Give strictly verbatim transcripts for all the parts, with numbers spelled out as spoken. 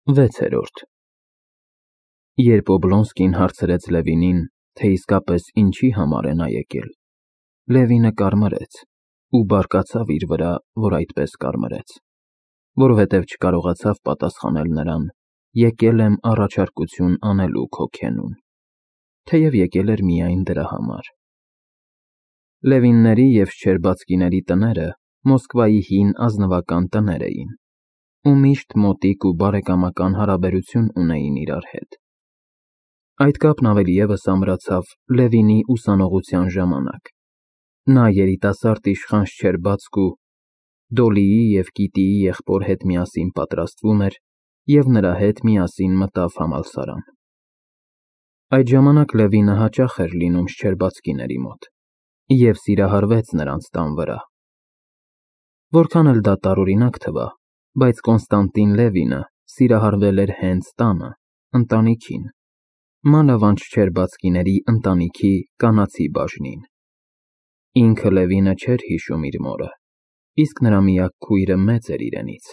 վեցերորդ Երբ Օբլոնսկին հարցրեց Լևինին, թե իսկապես ինչի համար է նա եկել, Լևինը կարմրեց ու բարկացավ իր վրա, որ այդպես կարմրեց, որովհետև չկարողացավ պատասխանել նրան. եկել եմ առաջարկություն անելու քո քենուն, թեև եկել էր միայն դրա համար։ Լևինների և Շչերբացկիների տները Մոսկվայի հին ազնվական տներ էին ու միշտ մոտիկ ու բարեկամական հարաբերություն ունեին իրար հետ։ Այդ կապն ավելի ևս ամրացավ Լևինի ուսանողության ժամանակ։ Նա երիտասարդ իշխան Շչերբացկու, Դոլիի և Կիտիի եղբոր հետ միասին պատրաստվում էր և նրա հետ միասին մտավ համալսարան։ Այդ ժամանակ Լևինը հաճախ էր լինում Շչերբացկիների մոտ և սիրահարվեց նրանց տան վրա։ Որքան էլ դա տարօրինակ թվա, բայց Կոնստանտին Լևինը սիրահարվել էր հենց տանը, ընտանիքին, մանավանդ Շչերբացկիների ընտանիքի կանացի բաժնին։ Ինքը Լևինը չէր հիշում իր մորը, իսկ նրա միակ քույրը մեծ էր իրենից,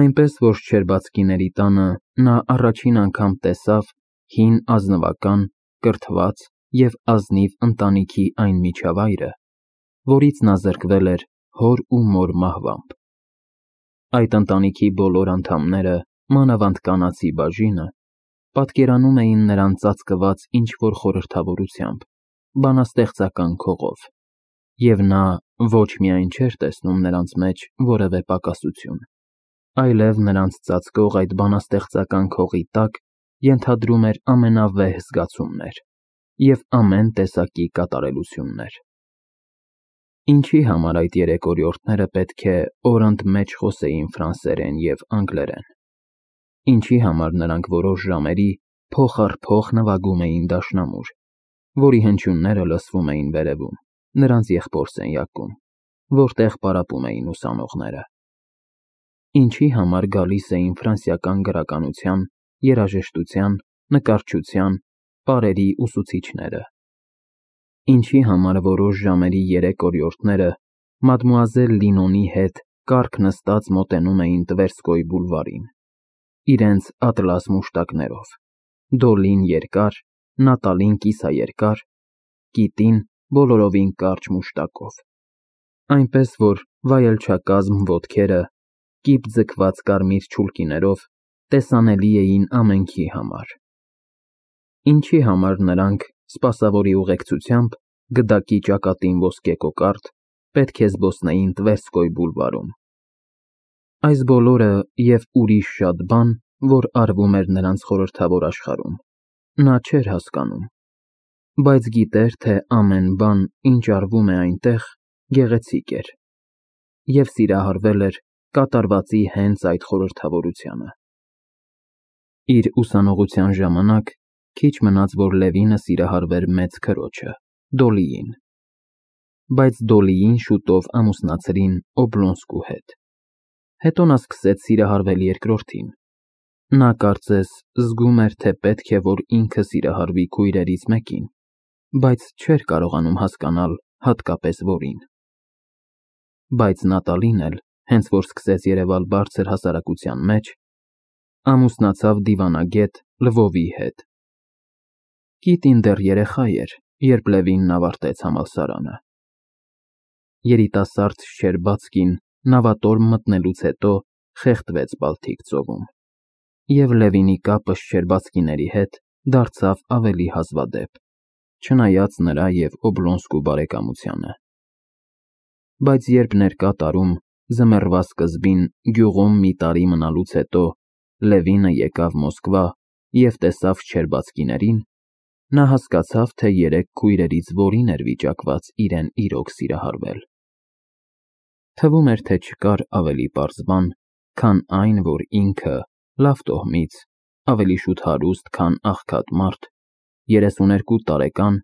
այնպես որ Շչերբացկիների տանը նա առաջին անգամ տեսավ հին ազնվական, կրթված և ազնիվ ընտանիքի այն միջավայրը, որից նա զրկվել էր հոր ու մոր մահվամբ։ Այդ ընտանիքի բոլոր անդամները, մանավանդ կանացի բաժինը, պատկերանում էին նրան ծածկված ինչ-որ խորհրդավորությամբ, բանաստեղծական քողով, և նա ոչ միայն չէր տեսնում նրանց մեջ որևէ պակասություն, այլև նրանց ծածկող այդ բանաստեղծական քողի տակ ենթադրում էր ամենավեհ զգացումներ և ամեն տեսակի կատարելություններ։ Ինչի համար այդ երեք օրիորդները պետք է օր ընդմեջ խոսեին ֆրանսերեն և անգլերեն։ Ինչի համար նրանք որոշ ժամերի փող առ փող նվագում էին դաշնամուր, որի հնչյունները լսվում էին վերևում, նրանց եղբոր սենյակում, որտեղ պարապում էին ուսանողները։ Ինչի համար գալիս էին ֆրանսիական գրականության, երաժշտության, նկարչության, պարերի ուսուցիչները։ Ինչի համար որոշ ժամերի երեք օրիորդները մադմուազել Լինոնի հետ կառք նստած մոտենում էին Տվերսկոյ բուլվարին, իրենց ատլաս մուշտակներով, Դոլին երկար, Նատալին կիսաերկար, Կիտին բոլորովին կարճ մուշտակով, այնպես որ վայելչակազմ ոտքերը, կիպ ձգված կարմիր չուլկիներով տեսանելի էին ամենքի համար։ Ինչի համար նրանք, սպասավորի ուղեկցությամբ, գդակի ճակատին ոսկե կոկարդ, պետք է զբոսնեին Տվերսկոյ բուլվարում։ Այս բոլորը և ուրիշ շատ բան, որ արվում էր նրանց խորհրդավոր աշխարհում, նա չէր հասկանում, բայց գիտեր, թե ամեն բան, ինչ արվում է այնտեղ, գեղեցիկ էր, և սիրահարվել էր կատարվածի հենց այդ խորհրդավորությանը։ Իր ուսանողության ժամանակ քիչ մնաց, որ Լևինը սիրահարվեր մեծ քրոջը՝ Դոլիին, բայց Դոլիին շուտով ամուսնացրին Օբլոնսկու հետ։ Հետո նա սկսեց սիրահարվել երկրորդին։ Նա կարծես զգում էր, թե պետք է որ ինքը սիրահարվի քույրերից մեկին, բայց չէր կարողանում հասկանալ հատկապես որին։ Բայց Նատալին էլ, հենց որ սկսեց երևալ բարձր հասարակության մեջ, ամուսնացավ դիվանագետ Լվովի հետ։ Կիտին դեռ երեխա էր, երբ Լևինն ավարտեց համալսարանը։ Երիտասարդ Շչերբացկին նավատորմ մտնելուց հետո խեղդվեց Բալթիկ ծովում, և Լևինի կապը Շչերբացկիների հետ դարձավ ավելի հազվադեպ, չնայած նրա և Օբլոնսկու բարեկամությանը։ Բայց երբ ներկա տարում, ձմեռվա սկզբին, գյուղում մի տարի մնալուց հետո Լևինը եկավ Մոսկվա և տեսավ Շչերբացկիներին, նա հասկացավ, թե երեք քույրերից որին էր վիճակված իրեն իրոք սիրահարվել։ Թվում էր, թե չկար ավելի պարզ բան, քան այն, որ ինքը, լավ տոհմից, ավելի շուտ հարուստ, քան աղքատ մարդ, երեսուներկու տարեկան,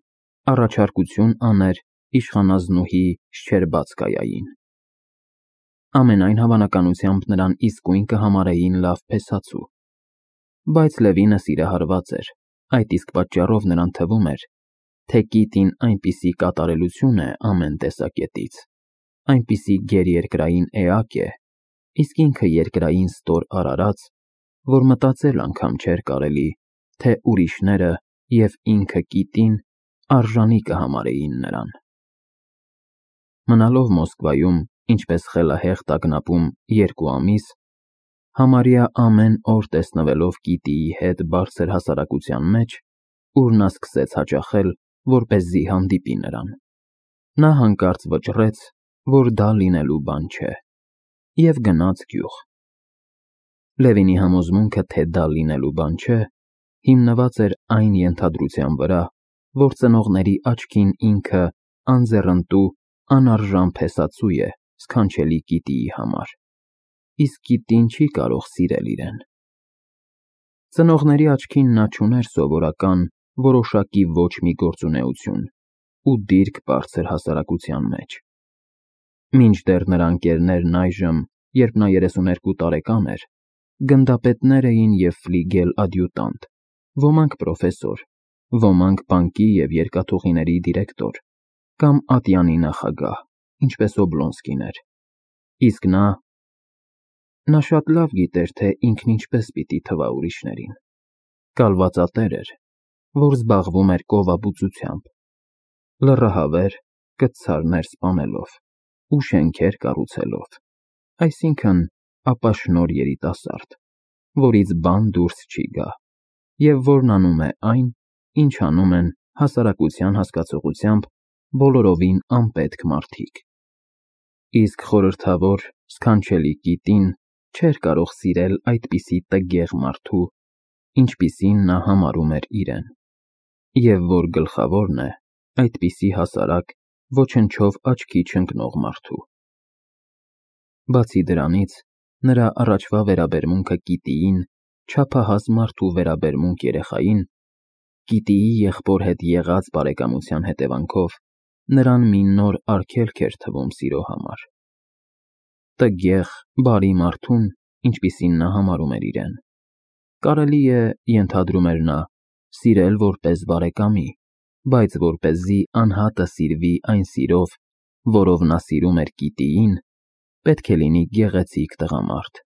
առաջարկություն աներ իշխանազնուհի Շչերբացկայային։ Ամենայն հավանականությամբ նրան իսկույն կհամարեին լավ փեսացու։ Բայց Լևինը սիրահարված էր, այդ իսկ պատճառով նրան թվում էր, թե Կիտին այնպիսի կատարելություն է ամեն տեսակետից, այնպիսի գերերկրային էակ է, իսկ ինքը երկրային ստոր արարած, որ մտածել անգամ չէր կարելի, թե ուրիշները և ինքը Կիտին արժանի կհամարեին նրան։ Մնալով Մոսկվայում, ինչպես խելահեղ տագնապում երկու ամիս, համարյա ամեն օր տեսնվելով Կիտիի հետ բարձր հասարակության մեջ, ուր նա սկսեց հաճախել, որպեսզի հանդիպի նրան, նա հանկարծ վճռեց, որ դա լինելու բան չէ, և գնաց գյուղ։ Լևինի համոզմունքը, թե դա լինելու բան չէ, հիմնված էր այն ենթադրության վրա, որ ծնողների աչքին ինքը անձեռնտու, անարժան փեսացու է սքանչելի Կիտիի համար, իսկ Կիտին չի կարող սիրել իրեն։ Ծնողների աչքին նա չուներ սովորական, որոշակի ոչ մի գործունեություն ու դիրք բարձր հասարակության մեջ։ Մինչդեռ նրա ընկերներն այժմ, երբ նա երեսուներկու տարեկան էր, գնդապետներ էին և ֆլիգել ադյուտանտ, ոմանք պրոֆեսոր, ոմանք բանկի և երկաթուղիների դիրեկտոր, կամ ատյանի նախագահ, ինչպես Օբլոնսկին էր, իսկ նա… Նա շատ լավ գիտեր, թե ինքն ինչպես պիտի թվա ուրիշներին։ Կալվածատեր էր, որ զբաղվում էր կովաբուծությամբ, լրահավեր, կցարներ սպանելով ու շենքեր կառուցելով, այսինքն՝ ապաշնորհ երիտասարդ, որից բան դուրս չի գա, և որն անում է այն, ինչ անում են հասարակության հասկացողությամբ բոլորովին անպետք մարդիկ։ Իսկ խորհրդավոր, սքանչելի Կիտին չէր կարող սիրել այդպիսի տգեղ մարդու, ինչպիսին նա համարում էր իրեն, և որ գլխավորն է, այդպիսի հասարակ, ոչնչով աչքի չընկնող մարդու։ Բացի դրանից, նրա առաջվա վերաբերմունքը Կիտիին չափահաս մարդու վերաբերմունք երեխային, Կիտիի եղբոր հետ եղած բարեկամության հետևանքով նրան մի նոր արգելք էր թվում սիրո համար։ Տգեղ, բարի մարդուն, ինչպիսին նա համարում էր իրեն, կարելի է, ենթադրում էր նա, սիրել որպես բարեկամի, բայց որպեսզի անհատը սիրվի այն սիրով, որով նա սիրում էր Կիտիին, պետք է լինի գեղեցիկ տղամարդ,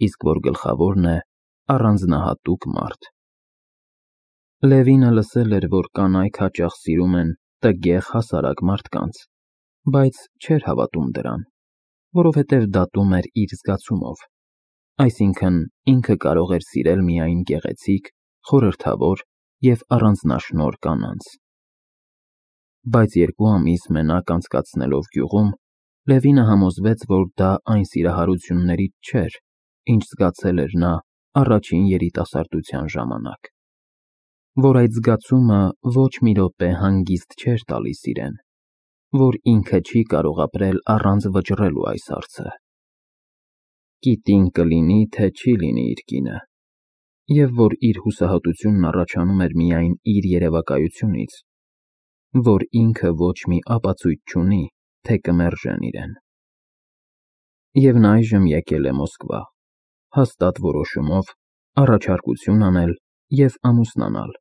իսկ որ գլխավորն է, առանձնահատուկ մարդ։ Լևինը լսել էր, որ կանայք հաճախ սիրում են տգեղ հասարակ մարդկանց, բայց չէր հավատում դրան, որովհետև դատում էր իր զգացումով, այսինքն՝ ինքը կարող էր սիրել միայն գեղեցիկ, խորհրդավոր և առանձնաշնորհ կանանց։ Բայց երկու ամիս մենակ անցկացնելով գյուղում, Լևինը համոզվեց, որ դա այն սիրահարություններից չէր, ինչ զգացել էր նա առաջին երիտասարդության ժամանակ, որ այդ զգացումը ոչ մի րոպե հանգիստ չէր տալիս իրեն, որ ինքը չի կարող ապրել առանց վճռելու այս հարցը. Կիտին կլինի, թե չի լինի իր կինը, և որ իր հուսահատությունն առաջանում էր միայն իր երևակայությունից, որ ինքը ոչ մի ապացույց չունի, թե կմերժեն իրեն։ Եվ նա այժմ եկել է Մոսկվա, հաստատ որոշումով առաջարկություն անել և ամուսնանալ,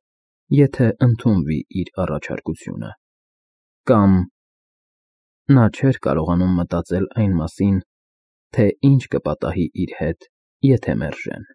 եթե ընդունվի իր առաջարկությունը, կամ… Նա չէր կարողանում մտածել այն մասին, թե ինչ կպատահի իր հետ, եթե մերժեն։